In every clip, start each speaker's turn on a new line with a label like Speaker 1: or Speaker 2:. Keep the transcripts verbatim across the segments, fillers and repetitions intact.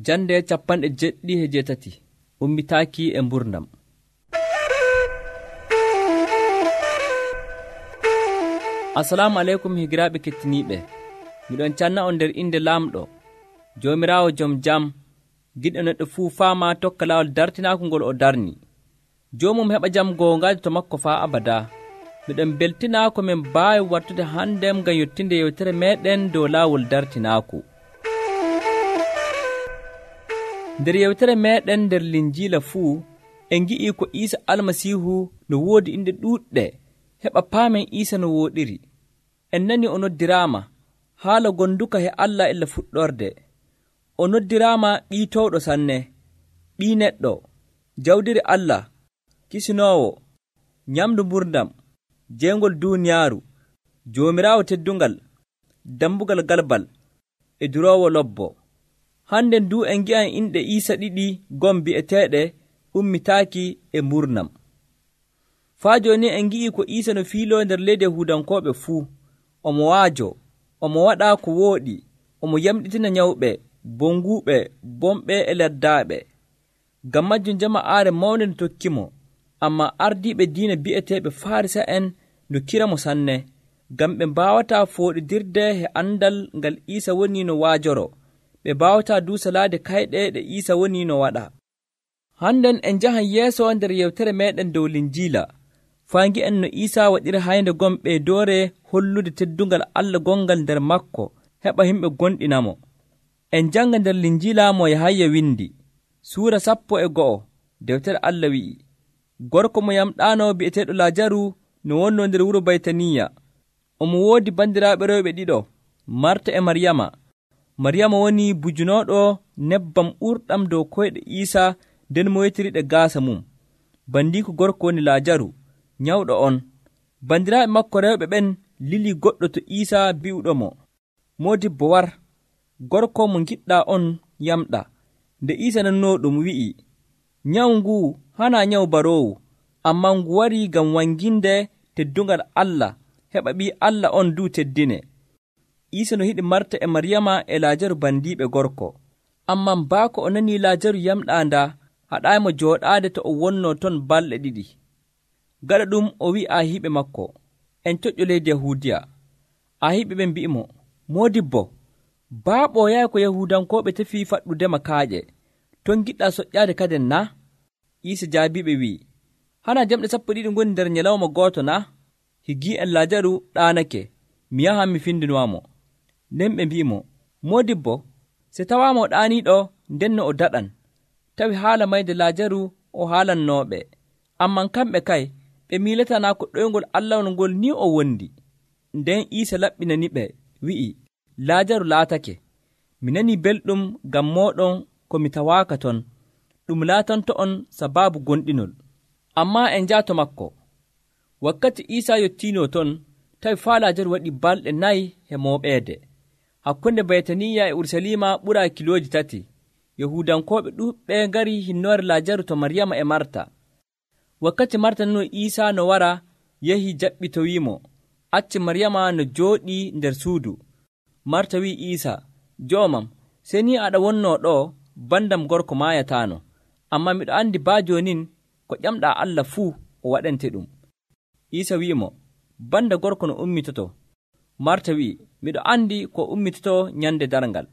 Speaker 1: Jande capanɗe jeɗɗi e jeetati ummitaaki e mburdam. Assalamu aleykum higiraaɓe kettiniiɓe. Miɗon canna on nder inde laamɗo Joomiraawo jom jam, giɗɗo neɗɗo fuu faama tokka laawol dartinaaku ngol o darni. Joomum heɓa jam goongaade to makko faa abada. Miɗon beltinaa ko min mbaawi wartude handem ngam yottinde yewtere meeɗen dow laawol dartinaaku. Nder yewtere meeɗen nder Linjiila fuu en ngi'ii ko Iisa Almasiihu no woodi inde ɗuuɗɗe heɓa paamen Iisa no wooɗiri. En nani o noddiraama haala gonduka he Allah illa fuɗɗorde. O noddiraama ɓii towɗo sanne, ɓii neɗɗo, jawdiri Allah, kisinoowo, nyamdu mburdam, jeengol duuniyaaru, Joomiraawo teddungal, dambugal galbal, e duroowo lobbo. Hannden du en ngi'an inɗe Iisa ɗiɗi gom bi'eteeɗe ummitaaki e mburnam. Faa jooni en ngi'ii ko Iisa no fiiloo nder leydi Yahuudankooɓe fuu. Omo waajo, omo waɗa ko wooɗi, omo yamɗitina nyawɓe, bonguuɓe, bomɓe e leddaaɓe. Ngam majjum jama'aare mawnde no tokkimo, ammaa ardiiɓe diina bi'eteeɓe Faarisa'en no kiramo sanne, ngam ɓe mbaawataa fooɗidirde e andal ngal Iisa woni no waajoro. Ɓe mbaawataa duu salaade kayɗe ɗe Iisa woni no waɗa. Hannden en njahan yeeso nder yewtere meeɗen dow Linjiila, faa ngi'en no Iisa waɗiri haynde gom ɓeydoore hollude teddungal Allah gongal nder makko heɓa yimɓe gonɗinamo. En janga nder Linjiila mo Yahaya windi, suura sappo e go'o, dewtere Allah wi'i, gorko mo yamɗaano bi'eteeɗo Laajaru no wonnoo nder wuro Baytaniya. Omo woodi bandiraaɓe rewɓe ɗiɗo, Marta e Maryama. Maryama woni bujunooɗo nebbam ɓurɗam dow koyɗe Iisa, nden mo wetiriɗe gaasa mum. Bandiiko gorko woni Laajaru, nyawɗo on. Bandiraaɓe makko rewɓe ɓen lili goɗɗo to Iisa bi'uɗomo, Moodibbo war, gorko mo giɗɗaa on yamɗa. Nde Iisa nanoo ɗum wi'i, nyawu nguu hanaa nyawu baroowu, ammaa ngu warii ngam wanginde teddungal Allah, heɓa ɓii Allah on duu teddine. Iisa no hiɗi Marta e Maryama e Laajaru bandiiɓe gorko. Ammaa baako o nanii Laajaru yamɗaa ndaa, haɗaaymo jooɗaade to o wonnoo ton balɗe ɗiɗi. Gaɗa ɗum o wi'i aahiiɓe makko, en toƴƴo leydi Yahuudiya. Aahiiɓe ɓen mbi'imo, Moodibbo, baaɓo yahi ko Yahuudankooɓe tefii faɗɗudema kaaƴe, ton giɗɗaa soƴƴaade kaden naa? Iisa jaabiiɓe wi'i, hana jamɗe sappo ɗiɗi ngoni nder nyalawma gooto naa? Higii en Laajaru ɗaanake, mi yahan mi findinoamo. Nden ɓe mbi'imo, Moodibbo, se tawaama o ɗaaniiɗo ndenno o daɗan. Tawi haala mayde Laajaru o haalannooɓe, amman kamɓe kay ɓe miilatanaa ko ɗoyngol Allah ngol ni o wondi. Nden Iisa laɓɓinaniɓe wi'i, Laajaru laatake. Mi nanii belɗum ngam mooɗon ko mi tawaaka ton, ɗum laatanto on sabaabu gonɗinol. Ammaa en njaato makko. Wakkati Iisa yottiinoo ton, tawi faa Laajaru waɗi balɗe nayi e mooɓeede. Hakkunde Baytaniya e Urusalima ɓuraa kilooji tati. Yahuudankooɓe ɗuuɓɓe ngari hinnoore Laajaru to Maryama e Marta. Wakkati Marta nanoo Iisa no wara, yehi jaɓɓitowiimo, acci Maryama no jooɗii nder suudu. Marta wi'i Iisa, joomam, sey ni aɗa wonnoo ɗoo, bandam gorko maayataano. Ammaa miɗo anndi baa joonin ko ƴamɗaa Allah fuu o waɗante ɗum. Iisa wi'imo, banda gorko no ummitoto. Marta wi'i, miɗo anndi ko ummitoto nyande darngal.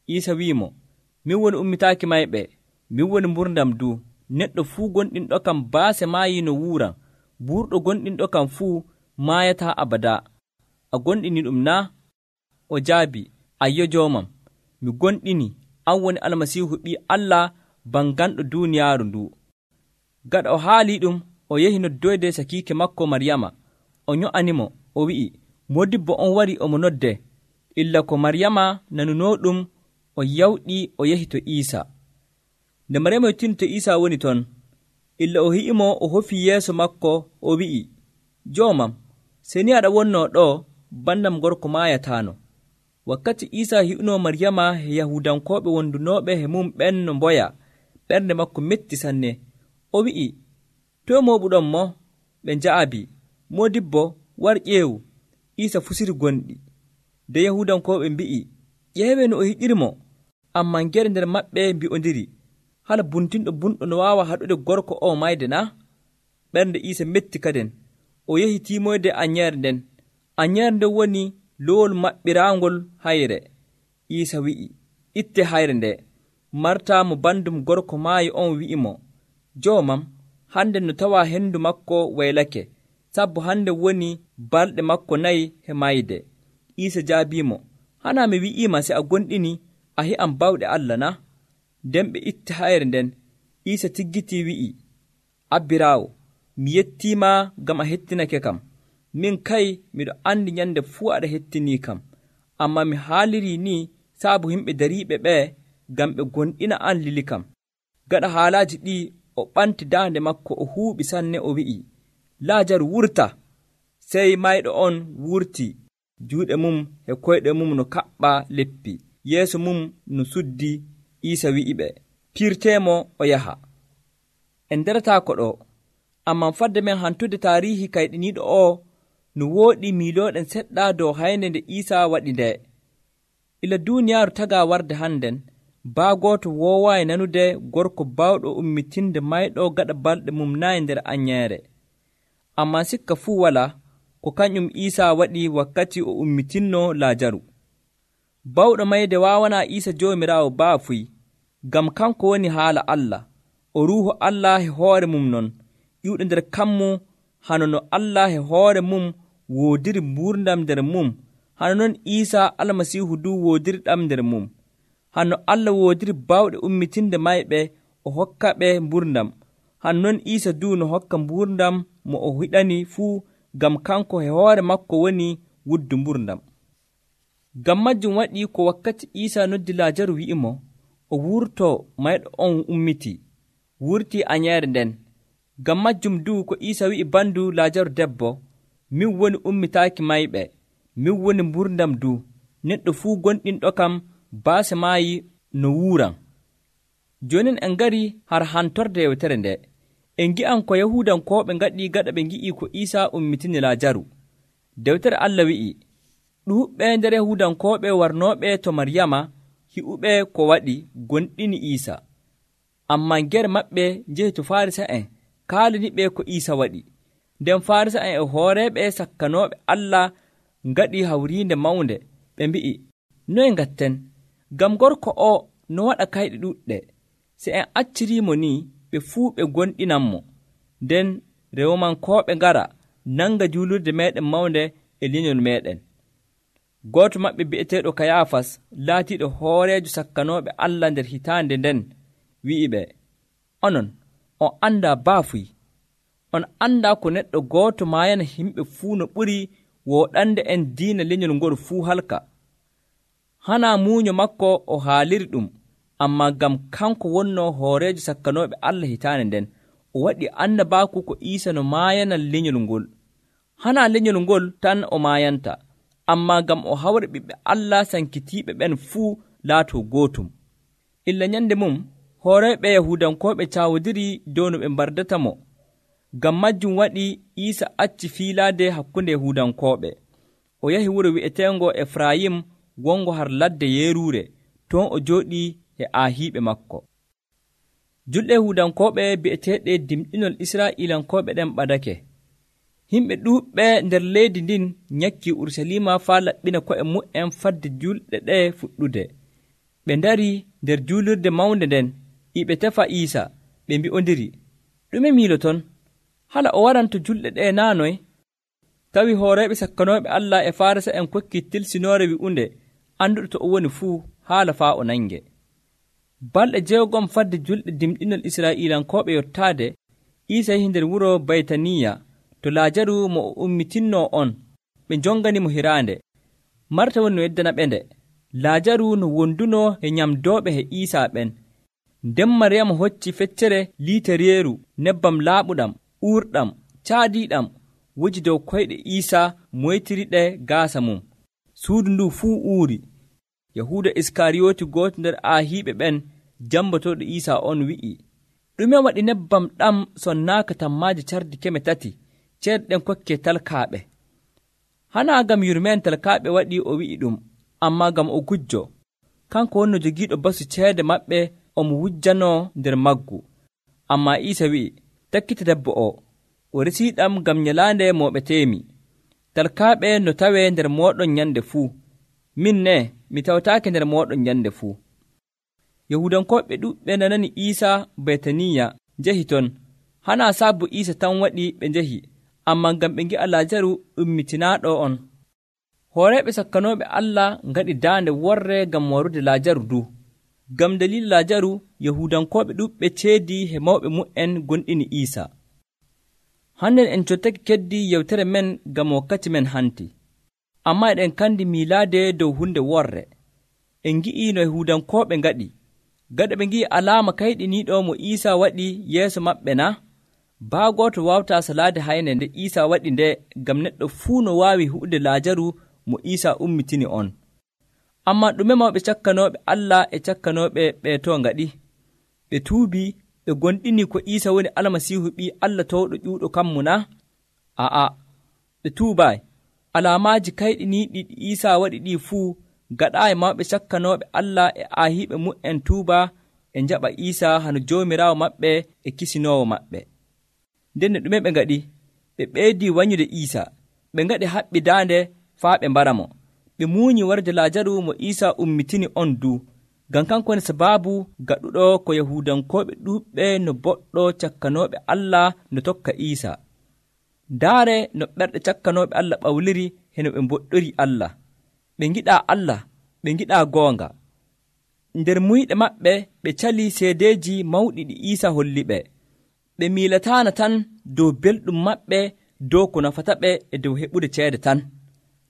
Speaker 1: Iisa wi'imo, min woni ummitaaki mayɓe, min woni mburdam duu. Neɗɗo fuu gonɗinɗo kam baase maayii no wuuran, burɗo gonɗinɗo kam fuu maayataa abada. A gonɗini ɗum naa? O jaabi, ayyo joomam, mi gonɗini, an woni Almasiihu ɓii Allah banganɗo duuniyaaru ndu. Gaɗa o haalii ɗum, o yehi noddoyde sakiike makko Maryama. O nyo'animo, o wi'i, Moodibbo on wari omo nodde. Illa ko Maryama nanunoo ɗum, o yawɗii o yehi to Iisa. Nde Maryama yottini to Iisa woni ton, illa o hi'imo o hofi yeeso makko, o wi'i, joomam, sey ni aɗa wonnoo ɗoo, bandam gorko maayataano. Wakkati Iisa hi'unoo Maryama e Yahuudankooɓe wondunooɓe e mum ɓen no mboya, ɓernde makko metti sanne. O wi'i, toye mooɓuɗon mo? Ɓe nja'abi, Moodibbo, war ƴeewu. Iisa fusiri gonɗi. Nde Yahuudankooɓe mbi'i, ƴeewe no o hiɗirimo. ammaa nger nder maɓɓe mbi'ondiri, hala buntinɗo bunɗo no waawa haɗude gorko o mayde na? Ɓernde Iisa metti kaden, o yehi tiimoyde anyeere nden. Anyeere nden woni lowol maɓɓiraangol hayre. Iisa wi'i, itte hayre nde. Marta mo bandum gorko maayi on wi'imo, joomam, hande no tawaa henndu makko waylake, sabbo hande woni balɗe makko nayi he mayde. Iisa jaabiimo, hana mi wi'iima se a gonɗini a he'an bawɗe Allah na? Nden ɓe itti hayre nden. Iisa tiggitii wi'i, abbiraawo, mi yettiima ngam a hettinake kam. Min kay miɗo andi nyande fuu aɗa hettinii kam, amma mi haalirii ni saabu yimɓe dariiɓe ɓee ngam ɓe gonɗina an lili kam. Gaɗa haalaaji ɗii o ɓanti daande makko o huuɓi sanne o wi'i, Laajaru wurta. Sey mayɗo on wurti, juuɗe mum e koyɗe mum no kaɓɓa leppi, yeeso mum no suddi. Iisa wi'i ɓe, piirteemo o yaha. En nderataa ko ɗo, ammaa fadde men hantude taariihi kayɗiniiɗo o no wooɗi miilooɗen seɗɗa dow haynde nde Iisa waɗi nde. Ila duuniyaaru tagaa warde hannden, baa gooto woowaayi nanude gorko baawɗo ummitinde mayɗo gaɗa balɗe mum nayi nder anyeere. Ammaa sikka fuu walaa ko kañum Iisa waɗi wakkati o ummitinno Laajaru. Bawɗo mayde waawanaa Iisa Joomiraawo baafuy, ngam kanko woni haala Allah. O Ruuhu Allah he hoore mum non, ƴiwɗo nder kammu, hano no Allah he hoore mum woodiri mbuurndam nder mum, hano non Iisa Almasiihu du woodiriɗam nder mum. Hano Allah woodiri baawɗe ummitinde mayɓe o hokka ɓe mbuurndam, hano non Iisa du no hokka mbuurndam mo o hiɗani fuu, ngam kanko he hoore makko woni wuddu mbuurndam. Ngam majjum waɗi ko wakkati Iisa noddi Laajaru wi'imo, o wurto mayɗo on ummiti, wurtii anyeere nden. Ngam majjum du ko Iisa wi'i bandu Laajaru debbo, min woni ummitaaki mayɓe, min woni mbuurndam du, neɗɗo fuu gonɗinɗo kam baase maayi no wuuran. Jooni en ngari har hantorde yewtere nde. En ngi'an ko Yahuudankooɓe ngaɗi gaɗa ɓe ngi'i ko Iisa ummitini Laajaru. Dewtere Allah wi'i, ɗuuɓɓe nder Yahuudankooɓe warnooɓe to Maryama hi'uɓe ko waɗi gonɗini Iisa. Ammaa nger maɓɓe njehi to Faarisa'en kaalani ɓe ko Iisa waɗi. Nden Faarisa'en e hooreeɓe sakkanooɓe Allah ngaɗi hawriinde mawnde. Ɓe mbi'i, noye ngatten? Ngam gorko o no waɗa kayɗe ɗuɗɗe. Se en acciriimo ni, ɓe fuu ɓe gonɗinanmo. Nden Rewmankooɓe ngara nanga juulurde meeɗen mawnde e lenyol meeɗen. Gooto maɓɓe bi'eteeɗo Kayaafas, laatiiɗo hooreejo sakkanooɓe Allah nder hitaande nden, wi'i ɓe, onon, on anndaa baafuy. On anndaa ko neɗɗo gooto maayana yimɓe fuu no ɓuri wooɗande en diina lenyol ngol fuu halka. Hanaa muuño makko o haaliri ɗum, ammaa ngam kanko wonnoo hooreejo sakkanooɓe Allah hitaande nden, o waɗi annabaaku ko Iisa no maayana lenyol ngol. Hanaa lenyol ngol tan o maayanta, ammaa ngam o hawra ɓiɓɓe Allah sankitiiɓe ɓen fuu laatoo gootum. Illa nyande mum, hooreeɓe Yahuudankooɓe caawodiri dow no ɓe mbardata mo. Ngam majjum waɗi Iisa acci fiilaade hakkunde Yahuudankooɓe. O yahi wuro wi'eteengo Efrayim wongo har ladde Yeeruure, ton o jooɗii e aahiiɓe makko. Julɗe Yahuudankooɓe bi'eteeɗe dimɗinol Israa'iilankooɓe ɗen ɓadake. Himɓe ɗuuɓɓe nder leydi ndin nyakkii Urusalima faa laɓɓina ko'e mu'en fadde julɗe ɗe fuɗɗude. Ɓe ndari nder juulirde mawnde nden, iɓe tefa Iisa, ɓe mbi'ondiri, ɗume miiloton? Hala o waranto julɗe ɗe naanoy? Tawi hooreeɓe sakkanooɓe Allah e Faarisa'en kokkii tilsinoore wi'unde annduɗo to o woni fuu haala faa o nange. Balɗe jeegom fadde julɗe dimɗinol Israa'iilankooɓe yottaade, Iisa yehi nder wuro Baytaniya to Laajaru mo o ummitinno on. Ɓe njonganimo hiraande. Marta woni no yeddana ɓe nde. Laajaru no wondunoo e nyamdooɓe he Iisa ɓen. Nden Maryama hocci feccere liitereeru nebbam laaɓuɗam, uurɗam, caadiiɗam, woji dow koyɗe Iisa moytiriɗe gaasa mum. Suudu ndu fuu uuri. Yahuuda Iskariyooti gooto nder aahiiɓe ɓen jambotooɗo Iisa on wi'i, ɗume waɗi nebbam ɗam sonnaaka tammaaje cardi keme tati ceerɗe ɗen kokkee talkaaɓe? Hanaa ngam yurmeen talkaaɓe waɗi o wi'i ɗum, ammaa ngam o gujjo. kanko wonno jogiiɗo basu ceede maɓɓe omo wujjanoo nder maggu. Ammaa Iisa wi'i, takkita debbo o, o resiiɗam ngam nyalaande mooɓeteemi. Talkaaɓe no tawee nder mooɗon nyande fuu, min ne mi tawtaake nder mooɗon nyande fuu. Yahuudanko'ɓe ɗuɗɓe nanani Iisa Betaniya njahi ton. Hanaa sabu Iisa tan waɗi ɓe njahi, ammaa ngam ɓe ngi'a Laajaru ummitinaaɗo on. Hooreeɓe sakkanooɓe Allah ngaɗi daande worre ngam warude Laajaru du. Ngam daliila Laajaru, Yahuudankooɓe ɗuɗɓe ceedi he mawɓe mu'en gonɗini Iisa. Hande en cottake keddi yewtere men ngam wakkati men hanti. Ammaa eɗen kandi miilaade dow hunde worre. En ngi'i no Yahuudankooɓe ngaɗi. Gaɗa ɓe ngi'i alaama kayɗiniiɗo mo Iisa waɗi yeeso maɓɓe na? Baa gooto waawtaa salaade hayne nde Iisa waɗi nde, ngam neɗɗo fuu no waawi hu'ude Laajaru mo Iisa ummitini on. Ammaa ɗume mawɓe cakkanooɓe Allah e cakkanooɓe ɓe to ngaɗi? Ɓe tuubii, ɓe gonɗini ko Iisa woni Almasiihu ɓii Allah towɗo ƴuuɗo kammu na? Aa, ɓe tuubaay. Alaamaaji kayɗiniiɗi ɗi Iisa waɗi ɗii fuu gaɗaayi mawɓe cakkanooɓe Allah e aahiiɓe mu'en tuuba e njaɓa Iisa hano Joomiraawo maɓɓe e kisinoowo maɓɓe. Nden ɗume ɓe ngaɗi? Ɓe ɓeydii wanyude Iisa. Ɓe ngaɗi haɓɓi daande faa ɓe mbara mo. Ɓe muuñi warde Laajaru mo Iisa ummitini on du, ngam kanko woni sabaabu gaɗuɗo ko Yahuudankooɓe ɗuuɓɓe no boɗɗo cakkanooɓe Allah no tokka Iisa. Ndaare no ɓerɗe cakkanooɓe Allah ɓawliri heno ɓe mboɗɗori Allah. Ɓe ngiɗaa Allah, ɓe ngiɗaa goonga. Nder muyɗe maɓɓe ɓe calii seedeeji mawɗi ɗi Iisa holli ɓe. Ɓe miilataana tan dow belɗum maɓɓe dow ko nafata ɓe e dow heɓude ceede tan.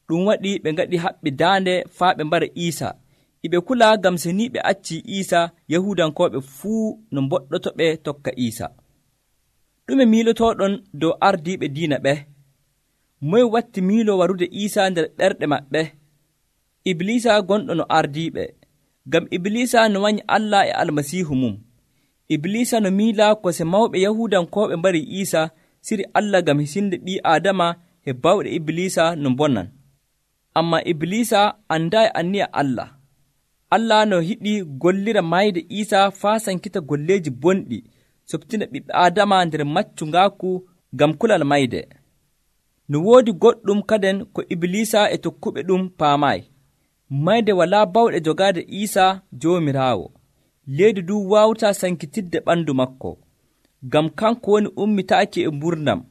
Speaker 1: Ɗum waɗi ɓe ngaɗi haɓɓi daande faa ɓe mbara Iisa. Iɓe kula ngam so ni ɓe accii Iisa, Yahuudankooɓe fuu no mboɗɗoto ɓe tokka Iisa. Ɗume miilotooɗon dow ardiiɓe diina ɓe? Moye watti miilo warude Iisa nder ɓerɗe maɓɓe? Ibliisa gonɗo no ardiiɓe, ngam Ibliisa no wanyi Allah e Almasiihu mum. Ibliisa no miila ko se mawɓe Yahuudankooɓe mbari Iisa, siri Allah ngam hisinde ɓii Aadama he bawɗe Ibliisa no bonnan. Ammaa Ibliisa andaayi anniya Allah. Allah no hiɗi gollira mayde Iisa faa sankita golleeji bonɗi, soɓtina ɓiɓɓe Aadama nder maccungaaku ngam kulal mayde. No woodi goɗɗum kaden ko Ibliisa e tokkuɓe ɗum paamaayi. Mayde walaa bawɗe jogaade Iisa Joomiraawo. Leydi du waawtaa sankitidde ɓandu makko, ngam kanko woni ummitaaki e mburnam.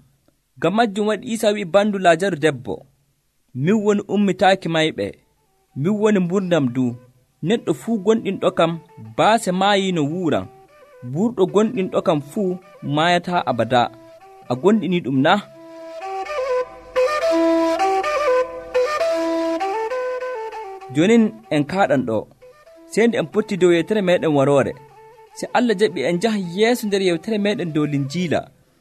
Speaker 1: Ngam majjum waɗi Iisa wi'i bandu Laajaru debbo, min woni ummitaaki mayɓe, min woni mburnam du. Neɗɗo fuu gonɗinɗo kam baase maayi no wuuran. Burɗo gonɗinɗo kam fuu maayataa abada. A gonɗini ɗum na? Jonin en kaaɗan ɗo, sey nde en potti dow yewtere meeɗen waroore. Se Allah jaɓi en njaha yeeso nder yewtere meeɗen dow Linjiila.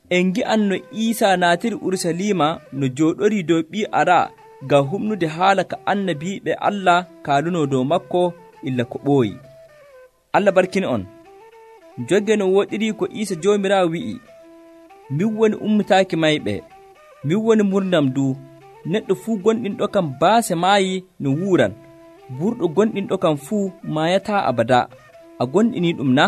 Speaker 1: En ngi'an no Iisa naatiri Urusalima no jooɗorii dow ɓii ara ngam humnude haala ka annabiiɓe Allah kaalunoo dow makko illa ko ɓooyi. Allah barkini on. Jogge no woɗiri ko Iisa Joomiraawo wi'i, min woni ummitaaki mayɓe, min woni murnam du. Neɗɗo fuu gonɗinɗo kam baase maayi no wuuran. Burɗo gonɗinɗo kam fuu maayataa abada. A gonɗini ɗum na?